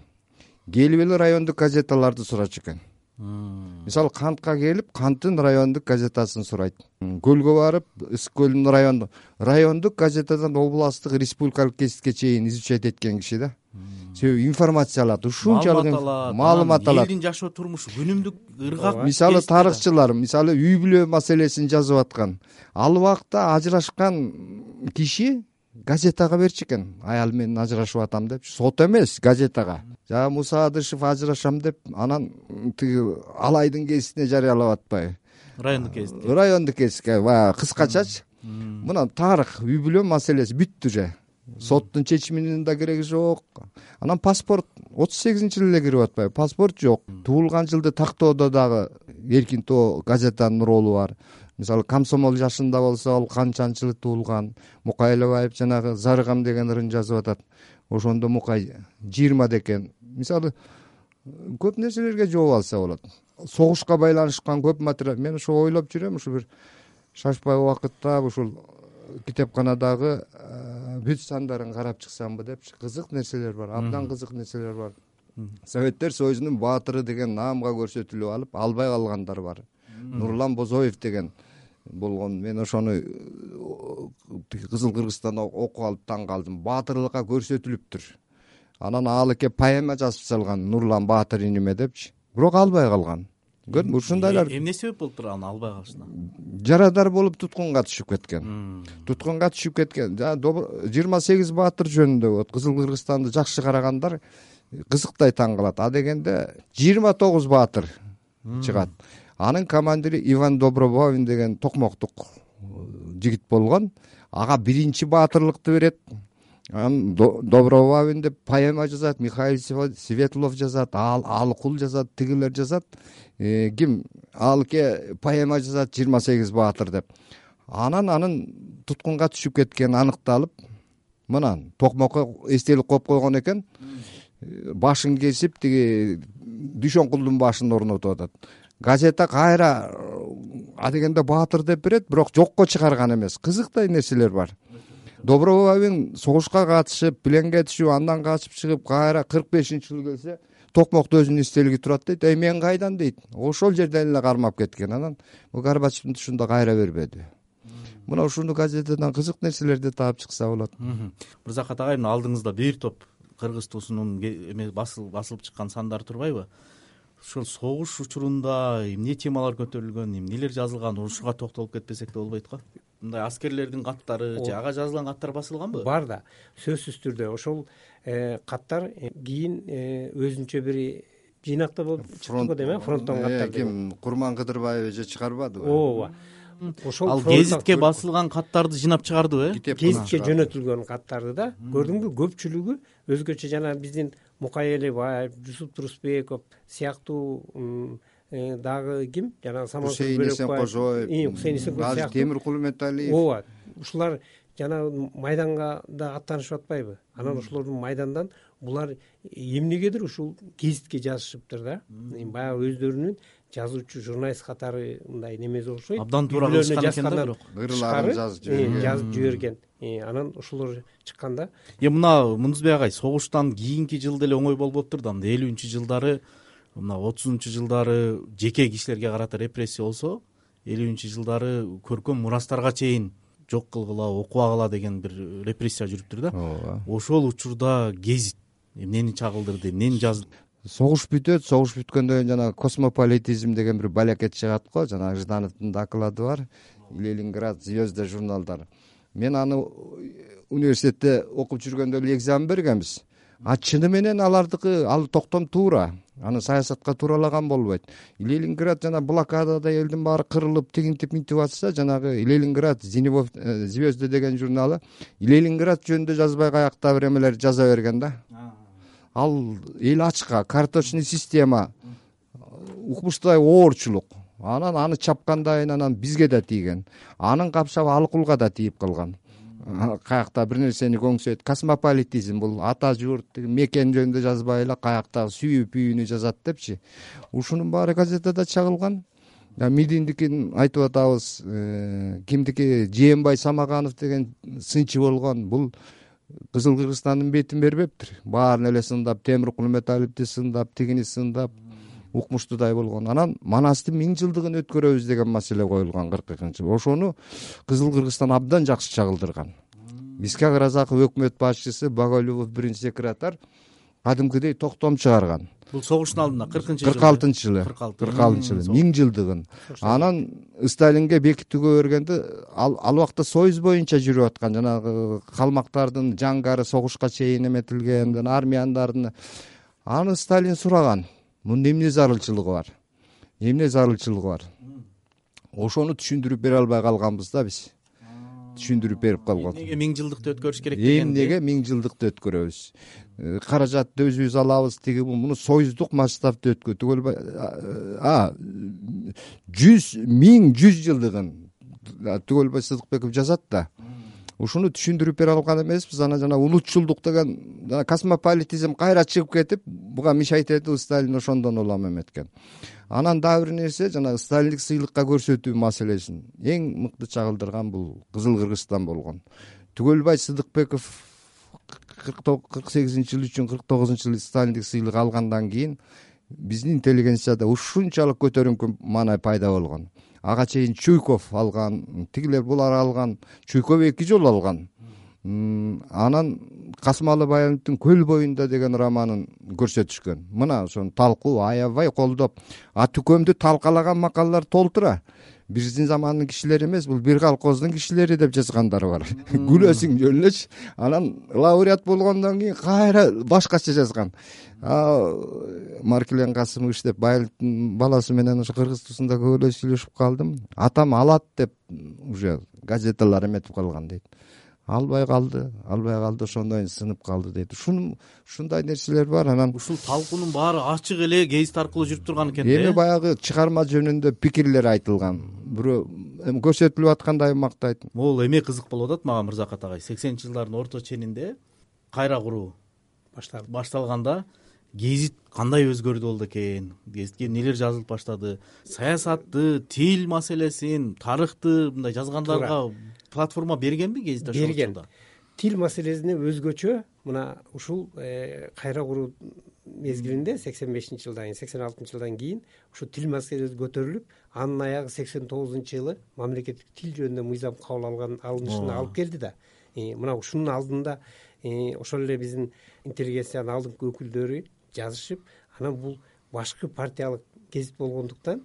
Келип эле райондук газеталарды сурачу экен. Мисалы Кантка келип, Канттын райондук газетасын сурайт. Көлгө барып, Ысык көлдүн райондук райондук газетадан областтык, республикалык гезитке чейин изучать эткен киши да. Себеби информация алат, ушунчалык маалымат алат. Элдин жашоо турмушу, күнүмдүк ыргак. Мисалы тарыхчылар, мисалы үй бүлө маселесин жазып аткан. Ал убакта ажырашкан киши газетага берчү экен. Аял менен ажырашып атам деп, сот эмес, газетага. Жа Муса Адышев ажырашам деп, анан тиги Алайдын гезитине жарыялап атпайбы? Райондук гезитке. Райондук гезитке, баягы кыскачачы. Мына тарых, үй бүлө маселеси бүттү же. Соттун чечиминин да кереги жок. Анан паспорт отуз сегизинчи жылы эле кирип атпайбы? Паспорт жок. Туулган жылды тактоодо дагы эркин тоо газетанын ролу бар. Мисалы Комсомол жашында болсо, ал канчанчы жылы туулган. Мукай Элебаев жанагы Зарыгам деген ырын жазып атат. Ошондо Мукай жыйырма декен. Мисалы көп нерселерге жооп алса болот. Согушка байланышкан көп материал. Мен ошо ойлоп жүрөм, ушу бир шашпай убакытта ушул китепканадагы бүт сандарын карап чыксамбы депчи. Кызык нерселер бар, абдан кызык нерселер бар. Советтер Союзунун баатыры деген наамга көрсөтүлүп алып, албай калгандар бар. Нурлан Бозоев деген болгон. Мен ошону Кызыл Кыргызстанда окуп алып таң калдым. Баатырлыкка көрсөтүлүптүр. Анан ал эке поэма жазып салган, Нурлан Баатыр иниме депчи. Бирок албай калган. Көрдүңбү, ушундайлар. Эмне себеп болуптур аны албай калышына? Жарадар болуп туткунга түшүп кеткен. Туткунга түшүп кеткен. жыйырма сегиз баатыр жөнүндө Кызыл Кыргызстанды жакшы карагандар кызыктай таң калат. А дегенде жыйырма тогуз баатыр чыгат. Анын командири Иван Добробавин деген токмоктук жигит болгон. Ага биринчи баатырлыкты берет. Анан Добробавин деп поэма жазат, Михаил Светлов жазат, Алкул жазат, тигилер жазат. Ким Алке поэма жазат, жыйырма сегиз баатыр деп. Анан анын туткунга түшүп кеткени аныкталып, мынан токмокко эстелик коюп койгон экен. Башын кесип, тиги Дүйшөнкулдун башын орнотуп атат. Газета кайра а дегенде баатыр деп берет, бирок жокко чыгарган эмес. Кызыктай нерселер бар. Добробавин согушка катышып, пленге түшүп, андан качып чыгып, кайра кырк бешинчи жылы келсе, токмокто өзүнүн эстелиги турат дейт. Эй, мен кайдан дейт. Ошол жерден эле кармап кеткен. Анан Горбачевдин тушунда кайра бербеди. Мына ушуну газетеден кызык нерселерди таап чыкса болот. Мырзакат агай, алдыңызда бир топ кыргыз туусунун басылып чыккан сандары турбайбы? Ошол согуш учурунда эмне темалар көтөрүлгөн, эмнелер жазылган, ушуга токтолуп кетпесек да болбойт го. мындай аскерлердин каттары же ага жазылган каттар басылганбы? Бар да, сөзсүз түрдө ошол каттар кийин өзүнчө бир жыйнакта болуп чыкты го дейм, фронттон каттар. Ким, Курман Кыдырбаев эже чыгарбадыбы? ооба. Ошол ал гезитке басылган каттарды жыйнап чыгардыбы? э Гезитке жөнөтүлгөн каттарды да көрдүңбү, көпчүлүгү өзгөчө жана биздин Мукай Элебаев, Жусуп Турусбеков сыяктуу дагы ким жана Хусейин Эсенкожоев, Хусейин Эсенкожоев азыр Темиркул Үмөталиев. ооба, ушулар жана майданга да аттанышып атпайбы? Анан ошолордун майдандан булар эмнегедир ушул гезитке жазышыптыр да. Баягы өздөрүнүн жазуучу, журналист катары мындай немеси окшойт. Абдан туура кылышкан экен да, бирок ырларын жазып жиберген. жазып жиберген. Анан ошолор чыкканда е мына Мундузбек агай, согуштан кийинки жыл деле оңой болбоптур да. Мында элүүнчү жылдары, мына отузунчу жылдары жеке кишилерге карата репрессия болсо, элүүнчү жылдары көркөм мурастарга чейин жок кылгыла, окубагыла деген бир репрессия жүрүптүр да. Ооба. Ошол учурда гезит эмнени чагылдырды, эмнени жазды? Согуш бүтөт, согуш бүткөндөн кийин жана космополитизм деген бир балекет чыгат го, жана Ждановдун доклады бар, Ленинград, Звезда журналдар. Мен аны университетте окуп жүргөндө эле экзамен бергенбиз. А чыны менен алардыкы ал токтом туура. Аны саясатка тууралаган болбойт. Ленинград жана блокадада элдин баары кырылып, тигинтип минтип атса, жанагы Ленинград, Звезда деген журналы Ленинград жөнүндө жазбай каяктап бир эмелер жаза берген да. Ал эл ачка, карточный система, укмуштай оорчулук. Анан аны чапкандайын анан бизге да тийген. Анын капшабы Алкулга да тийип калган. Каякта бир нерсени көңсөйт. Космополитизм бул ата журт, мекен жөнүндө жазбай эле каякта сүйүү пүйүүнү жазат депчи. Ушунун баары газетада чагылган. Мидиндикин айтып атабыз, кимдики Жээнбай Самаганов деген сынчы болгон. Бул Кызыл Кыргызстандын бетин бербептир. Баарын эле сындап, Темиркул Үмөталиевди сындап, тигини сындап, укмуштуудай болгон. Анан Манастын миң жылдыгын өткөрөбүз деген маселе коюлган кырк экинчи жылы. Ошону Кызыл Кыргызстан абдан жакшы чагылдырган. Исхак Разаков өкмөт башчысы, Багаулюбов биринчи секретарь кадимкидей токтом чыгарган. Бул согуштун алдында кыркынчы жылы. кырк алтынчы жылы. кырк алтынчы жылы миң жылдыгын. Анан Сталинге бекитүүгө бергенде ал ал убакта союз боюнча жүрүп аткан жанагы калмактардын жангары согушка чейин эметилген, армияндардын. Аны Сталин сураган. Мунда эмне зарылчылыгы бар? Эмне зарылчылыгы бар? Ошону түшүндүрүп бере албай калганбыз да биз. Түшүндүрүп берип калган. Эмнеге миң жылдыкты өткөрүш керек деген? Эмнеге миң жылдыкты өткөрөбүз? Каражатты өзүбүз алабыз, тиги муну союздук масштабта өткөрүп түгөлбөй. А жүз миң жүз жылдыгын Түгөлбай Сыдыкбеков жазат да. Ушуну түшүндүрүп бере алган эмеспиз. Ана жана улутчулдук деген жана космополитизм кайра чыгып кетип, буга мешайт этип Сталин ошондон улам эметкен. Анан дагы бир нерсе, жана Сталиндик сыйлыкка көрсөтүү маселесин эң мыкты чагылдырган бул Кызыл Кыргызстан болгон. Түгөлбай Сыдыкбеков кырк сегизинчи жыл үчүн кырк тогузунчу жылы Сталиндик сыйлык алгандан кийин биздин интеллигенцияда ушунчалык көтөрүңкү маанай пайда болгон. Ага чейин Чуйков алган, тигилер булар алган, Чуйков эки жолу алган. Анан Касымалы Баяновдун Көл боюнда деген романын көрсөтүшкөн. Мына ошону талкуу аябай колдоп, Атүкөмдү талкалаган макалалар толтура. Биздин замандын кишилери эмес, бул бир колхоздун кишилери деп жазгандары бар. Күлөсүң жөн элечи. Анан лауреат болгондон кийин кайра башкача жазган. Маркелен Касымович деп Баяновдун баласы менен ошо кыргыз туусунда көбөлө сүйлөшүп калдым. Атам алат деп уже газеталар эметип калган дейт. Албай калды, албай калды, ошондон сынып калды дейт. Ушун ушундай нерселер бар. Анан ушул талкуунун баары ачык эле гезит аркылуу жүрүп турган экен да. Эми баягы чыгарма жөнүндө пикирлер айтылган. Бирөө эми көрсөтүлүп аткандай мактайт. Могул эме кызык болуп атат мага Мырзакат агай. сексенинчи жылдардын орто ченинде кайра куруу башталды. Башталганда гезит кандай өзгөрдү болду экен? Гезитке эмнелер жазылып баштады? Саясатты, тил маселесин, тарыхты мындай жазгандарга платформа бергенби гезит ошол учурда? Тил маселесине өзгөчө мына ушул кайра куруу мезгилинде сексен бешинчи жылдан кийин, сексен алтынчы жылдан кийин ушу тил маселеси көтөрүлүп, анын аягы сексен тогузунчу жылы мамлекеттик тил жөнүндө мыйзам кабыл алган алынышына алып келди да. Мына ушунун алдында ошол эле биздин интеллигенциянын алдыңкы өкүлдөрү жазышып, анан бул башкы партиялык гезит болгондуктан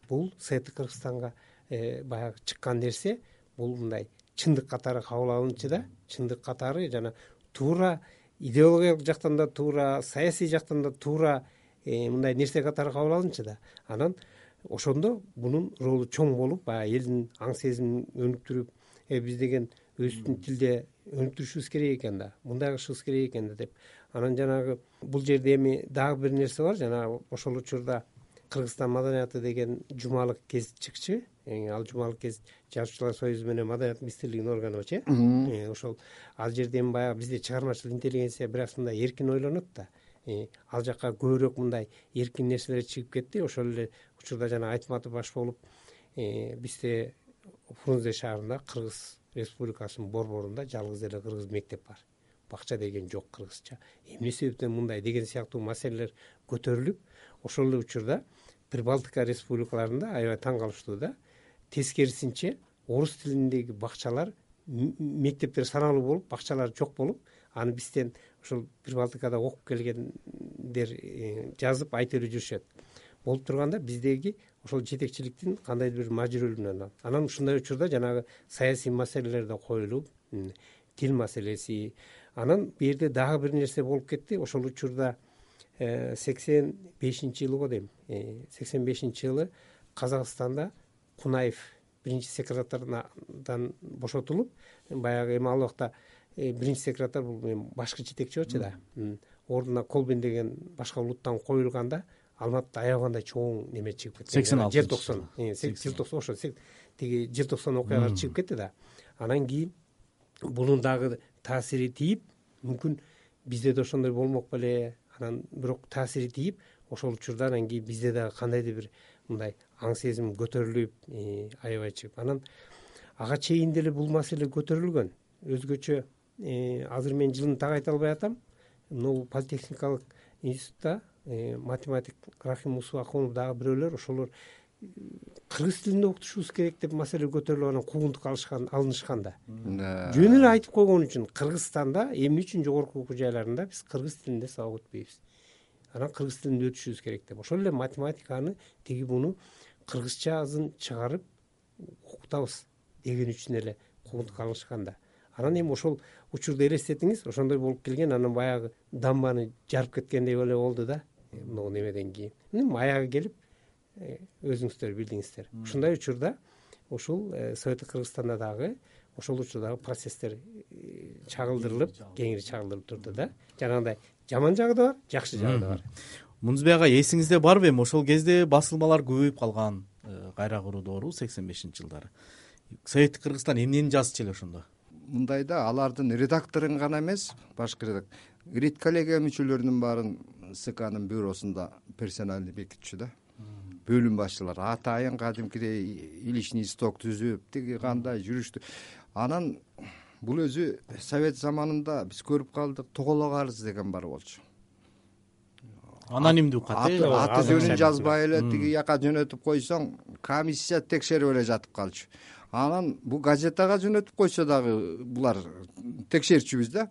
бул Советтик Кыргызстанга баягы чыккан нерсе бул мындай чындык катары кабыл алынчу да, чындык катары жана туура идеологиялык жактан да туура, саясий жактан да туура мындай нерсе катары кабыл алынчу да. Анан ошондо мунун ролу чоң болуп, баягы элдин аң сезимин өнүктүрүп, э биз деген өзүбүздүн тилде өнүктүрүшүбүз керек экен да, мындай кылышыбыз керек экен да деп. Анан жанагы бул жерде эми дагы бир нерсе бар, жанагы ошол учурда Кыргызстан маданияты деген жумалык гезит чыкчу. Ал жумалык гезит Жазуучулар союзу менен Маданият министрлигинин органыбычы. Ошол ал жерде эми баягы бизде чыгармачыл интеллигенция бир аз мындай эркин ойлонот да. Ал жакка көбүрөөк мындай эркин нерселер чыгып кетти. Ошол эле учурда жана Айтматов баш болуп, бизде Фрунзе шаарында Кыргыз Республикасынын борборунда жалгыз эле кыргыз мектеп бар. Бакча деген жок кыргызча. Эмне себептен мындай деген сыяктуу маселелер көтөрүлүп, ошол эле учурда Прибалтика республикаларында аябай таң калыштуу да. Тескерисинче орус тилиндеги бакчалар, мектептер саналуу болуп, бакчалар жок болуп, аны бизден ошол Прибалтикада окуп келгендер жазып айтып жүрүшөт. Болуп турганда биздеги ошол жетекчиликтин кандайдыр бир мажбүрүлүгүнөн. Анан ушундай учурда жанагы саясий маселелер да коюлуп, тил маселеси. Анан бу жерде дагы бир нерсе болуп кетти. Ошол учурда сексен бешинчи жылы го дейм. сексен бешинчи жылы Казакстанда Кунаев биринчи секретардан бошотулуп, баягы эми ал убакта биринчи секретарь бул башкы жетекчи болчу да. Ордуна Колбин деген башка улуттан коюлганда, Алматыда аябагандай чоң неме чыгып кетти. сексен алтынчы желтоқсан, желтоқсан ошо тиги желтоқсан окуялар чыгып кетти да. Анан кийин бунун дагы таасири тийип, мүмкүн бизде да ошондой болмок беле. Анан бирок таасири тийип, ошол учурда анан кийин бизде дагы кандайдыр бир мындай аң сезим көтөрүлүп, аябай чыгып. Анан ага чейин деле бул маселе көтөрүлгөн. Өзгөчө азыр мен жылын так айта албай атам. Могу политехникалык институтта математик Рахим Усуакунов дагы бирөөлөр ошолор кыргыз тилинде окутушубуз керек деп маселе көтөрүлүп, анан куугунтук алышкан, алынышкан да. Жөн эле айтып койгон үчүн Кыргызстанда эмне үчүн жогорку окуу жайларында биз кыргыз тилинде сабак өтпөйбүз. Анан кыргыз тилинде өтүшүбүз керек деп. Ошол эле математиканы тиги буну кыргызча азын чыгарып окутабыз деген үчүн эле куугунтук алышкан да. Анан эми ошол учурду элестетиңиз, ошондой болуп келген, анан баягы дамбаны жарып кеткендей эле болду да. Могу немеден кийин. Эми аягы келип, өзүңүздөр билдиңиздер. Ушундай учурда ушул Советтик Кыргызстанда дагы ошол учурдагы процесстер чагылдырылып, кеңири чагылдырылып турду да. Жанагындай жаман жагы да бар, жакшы жагы да бар. Мунузбек ага, эсиңизде барбы эми ошол кезде басылмалар көбөйүп калган, кайра куруу доору сексен бешинчи жылдары. Советтик Кыргызстан эмнени жазчу эле ошондо? Мындай да, алардын редакторун гана эмес, башкы редактор, редколлегия мүчөлөрүнүн баарын СКнын бюросунда персональный бекитчү да. Бөлүм башчылар атайын кадимкидей илишний исток түзүп, тиги кандай жүрүштү. Анан бул өзү совет заманында биз көрүп калдык, тоголок арыз деген бар болчу. Анонимдүү кат, аты жөнүн жазбай эле тиги жака жөнөтүп койсоң, комиссия текшерип эле жатып калчу. Анан бул газетага жөнөтүп койсо дагы булар текшерчүбүз да.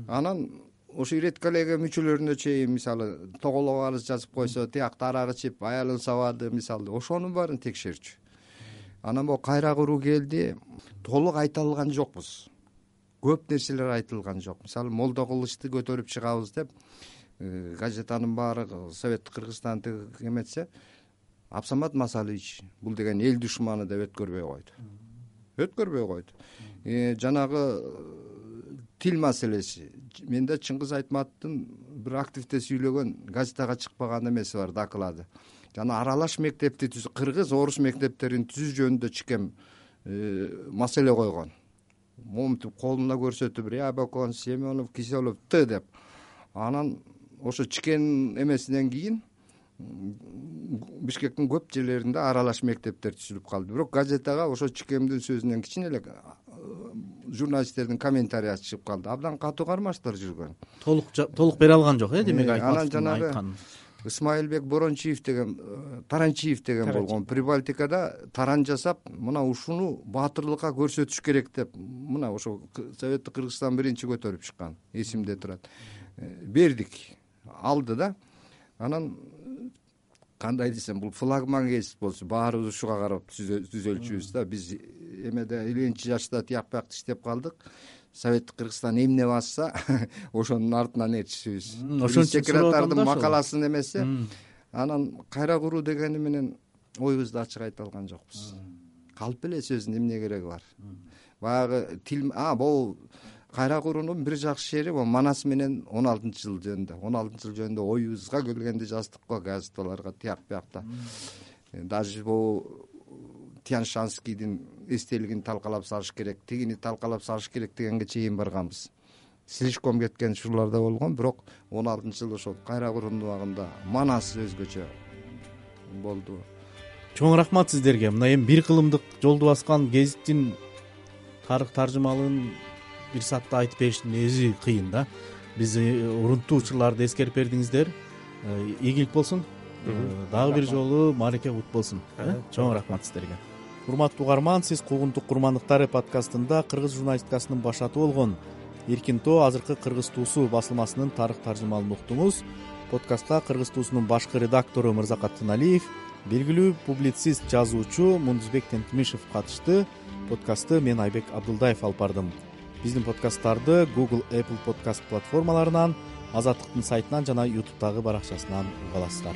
Анан ошо редколлегия мүчөлөрүнө чейин, мисалы, тоголок арыз жазып койсо, тиякта арак ичип, аялын сабады, мисалы, ошонун баарын текшерчү. Анан могу кайра куруу келди, толук айта алган жокпуз. Көп нерселер айтылган жок. Мисалы, Молдо Кылычты көтөрүп чыгабыз деп, газетанын баары Советтик Кыргызстанды эметсе, Абсамат Масалович бул деген эл душманы деп өткөрбөй койду. Өткөрбөй койду. Жанагы тил маселеси. Менде Чыңгыз Айтматовдун бир активде сүйлөгөн, газетага чыкпаган эмеси бар, доклады. Жана аралаш мектепти түзүү, кыргыз орус мектептерин түзүү жөнүндө чыкем маселе койгон. Момунтип колуна көрсөтүп, Рябокон, Семенов, Киселов Т деп. Анан ошо чыкен эмесинен кийин Бишкектин көп жерлеринде аралаш мектептер түзүлүп калды. Бирок газетага ошо чыкемдин сөзүнөн кичине эле журналисттердин комментариясы чыгып калды. Абдан катуу кармаштар жүргөн. Толук толук бере алган жок, э, демек Айтматовдун айткан. Исмаилбек Борончиев деген, Таранчиев деген болгон, Прибалтикада таран жасап, мына ушуну баатырлыкка көрсөтүш керек деп, мына ошо Советтик Кыргызстан биринчи көтөрүп чыккан, эсимде турат. Бердик, алды да. Анан кандай десем, бул флагман кесип болчу, баарыбыз ушуга карап түзөлчүбүз да. Биз эмеде элүүнчү жашта тияк биякта иштеп калдык. Советтик Кыргызстан эмне басса ошонун артынан ээрчишибиз. Ошон үчүн секретардын макаласын эмесе, анан кайра куруу дегени менен оюбузду ачык айта алган жокпуз. Калп эле сөздүн эмне кереги бар. Баягы тил а бул кайра куруунун бир жакшы жери бул Манас менен он алтынчы жыл жөнүндө. он алтынчы жыл жөнүндө оюбузга келгенди жаздык го газеталарга тияк биякта. Даже бул Тянь-Шанскийдин эстелигин талкалап салыш керек, тигини талкалап салыш керек дегенге чейин барганбыз. Слишком кеткен учурларда болгон, бирок он алтынчы жыл ошол кайра куруунун убагында Манас өзгөчө болду. Чоң рахмат сиздерге. Мына эми бир кылымдык жолду баскан гезиттин тарых таржымалын бир саатта айтып бериштин өзү кыйын да. Биз урунттуу учурларды эскерип бердиңиздер. Ийгилик болсун. Дагы бир жолу маареке кут болсун. Чоң рахмат сиздерге. Урматтуу угарман, сиз Куугунтук курмандыктары подкастында кыргыз журналистикасынын башаты болгон Эркин Тоо азыркы Кыргыз туусу басылмасынын тарых таржымалын уктуңуз. Подкастка Кыргыз туусунун башкы редактору Мырзакат Тыналиев, белгилүү публицист, жазуучу Мундузбек Тентимишев катышты. Подкастты мен Айбек Абдулдаев алып бардым. Биздин подкасттарды Google, Apple подкаст платформаларынан, Азаттыктын сайтынан жана YouTube'дагы баракчасынан уга аласыздар.